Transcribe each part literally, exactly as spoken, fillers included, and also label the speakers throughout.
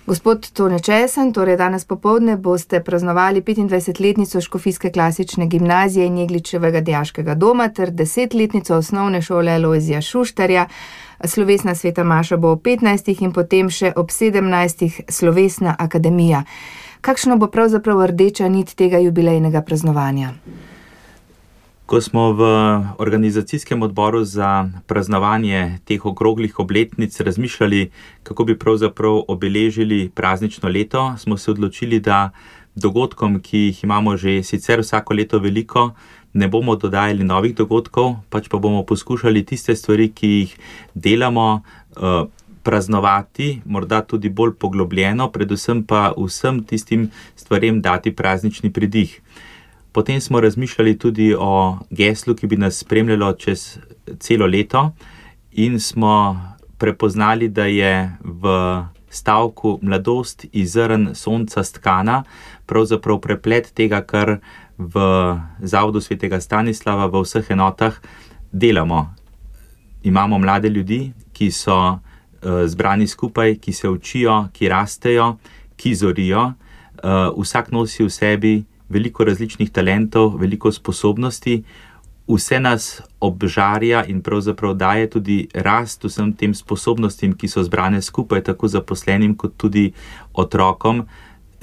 Speaker 1: Gospod Tone Česen, torej danes popoldne boste praznovali petindvajsetletnico Škofijske klasične gimnazije in Jegličevega dijaškega doma ter desetletnico osnovne šole Alojzija Šuštarja. Slovesna sveta maša bo ob petnajstih in potem še ob sedemnajstih slovesna akademija. Kakšno bo pravzaprav rdeča nit tega jubilejnega praznovanja?
Speaker 2: Ko smo v organizacijskem odboru za praznovanje teh okroglih obletnic razmišljali, kako bi pravzaprav obeležili praznično leto, smo se odločili, da dogodkom, ki jih imamo že sicer vsako leto veliko, ne bomo dodajali novih dogodkov, pač pa bomo poskušali tiste stvari, ki jih delamo, praznovati, morda tudi bolj poglobljeno, predvsem pa vsem tistim stvarem dati praznični pridih. Potem smo razmišljali tudi o geslu, ki bi nas spremljalo čez celo leto in smo prepoznali, da je v stavku Mladost iz zrn sonca stkana pravzaprav preplet tega, kar v Zavodu svetega Stanislava v vseh enotah delamo. Imamo mlade ljudi, ki so uh, zbrani skupaj, ki se učijo, ki rastejo, ki zorijo, uh, vsak nosi v sebi veliko različnih talentov, veliko sposobnosti, vse nas obžarja in pravzaprav daje tudi rast vsem tem sposobnostim, ki so zbrane skupaj, tako zaposlenim kot tudi otrokom.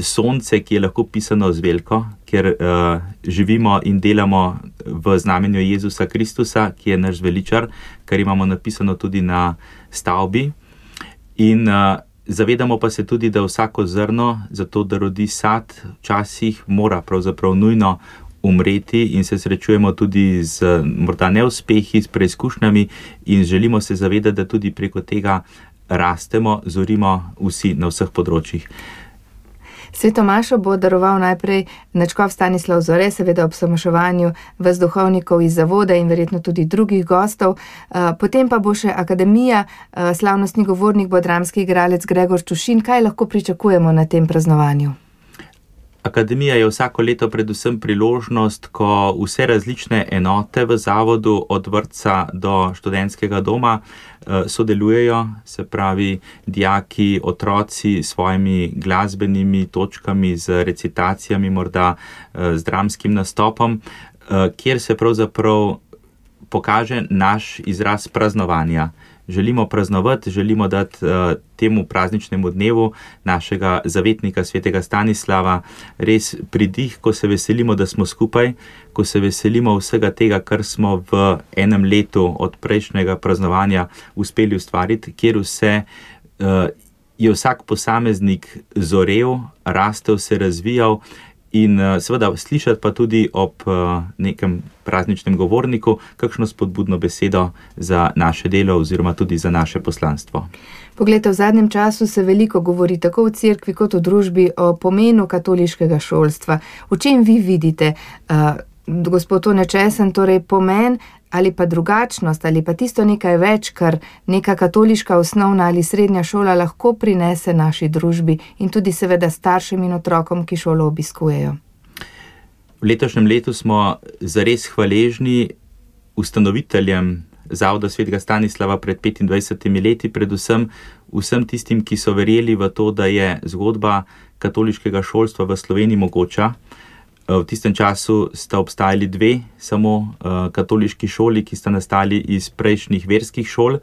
Speaker 2: Sonce, ki je lahko pisano z veliko, ker uh, živimo in delamo v znamenju Jezusa Kristusa, ki je naš veličar, kar imamo napisano tudi na stavbi. In uh, zavedamo pa se tudi, da vsako zrno, zato da rodi sad, včasih mora pravzaprav nujno umreti in se srečujemo tudi z morda neuspehi, s preizkušnjami in želimo se zavedati, da tudi preko tega rastemo, zorimo vsi na vseh področjih.
Speaker 1: Sveto mašo bo daroval najprej nadškof Stanislav Zore, seveda ob samaševanju vas duhovnikov iz zavoda in verjetno tudi drugih gostov. Potem pa bo še akademija, slavnostni govornik bo dramski igralec Gregor Čušin. Kaj lahko pričakujemo na tem praznovanju?
Speaker 2: Akademija je vsako leto predvsem priložnost, ko vse različne enote v zavodu od vrtca do študentskega doma sodelujejo, se pravi dijaki, otroci s svojimi glasbenimi točkami, z recitacijami, morda z dramskim nastopom, kjer se pravzaprav pokaže naš izraz praznovanja. Želimo praznovati, želimo dati uh, temu prazničnemu dnevu našega zavetnika svetega Stanislava res pridih, ko se veselimo, da smo skupaj, ko se veselimo vsega tega, kar smo v enem letu od prejšnjega praznovanja uspeli ustvariti, kjer vse uh, je vsak posameznik zorel, rastel, se razvijal. In seveda slišati pa tudi ob nekem prazničnem govorniku kakšno spodbudno besedo za naše delo oziroma tudi za naše poslanstvo.
Speaker 1: Poglejte, v zadnjem času se veliko govori tako v cerkvi kot v družbi o pomenu katoliškega šolstva. V čem vi vidite, uh, gospod Tone Česen, torej pomen ali pa drugačnost ali pa tisto nekaj več, kar neka katoliška osnovna ali srednja šola lahko prinese naši družbi in tudi seveda staršem in otrokom, ki šolo obiskujejo?
Speaker 2: V letošnjem letu smo zares hvaležni ustanoviteljem Zavoda svetega Stanislava pred petindvajsetimi leti, predvsem vsem tistim, ki so verjeli v to, da je zgodba katoliškega šolstva v Sloveniji mogoča. V tistem času sta obstajali dve samo uh, katoliški šoli, ki sta nastali iz prejšnjih verskih šol,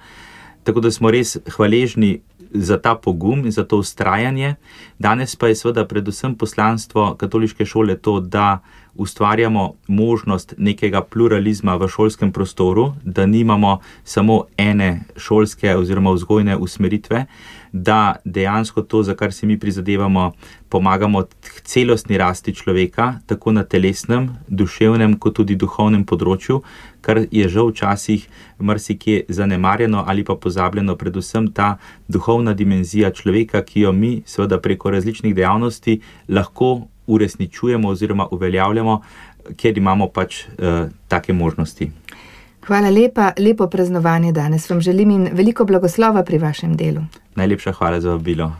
Speaker 2: tako da smo res hvaležni za ta pogum in za to vztrajanje. Danes pa je seveda predvsem poslanstvo katoliške šole to, da ustvarjamo možnost nekega pluralizma v šolskem prostoru, da nimamo samo ene šolske oziroma vzgojne usmeritve, da dejansko to, za kar si mi prizadevamo, pomagamo k celostni rasti človeka, tako na telesnem, duševnem, kot tudi duhovnem področju, kar je žal včasih marsikje zanemarjeno ali pa pozabljeno, predvsem ta duhovna dimenzija človeka, ki jo mi seveda preko različnih dejavnosti lahko uresničujemo oziroma uveljavljamo, ker imamo pač uh, take možnosti.
Speaker 1: Hvala lepa, lepo praznovanje danes vam želim in veliko blagoslova pri vašem delu.
Speaker 2: Najlepša hvala za vabilo.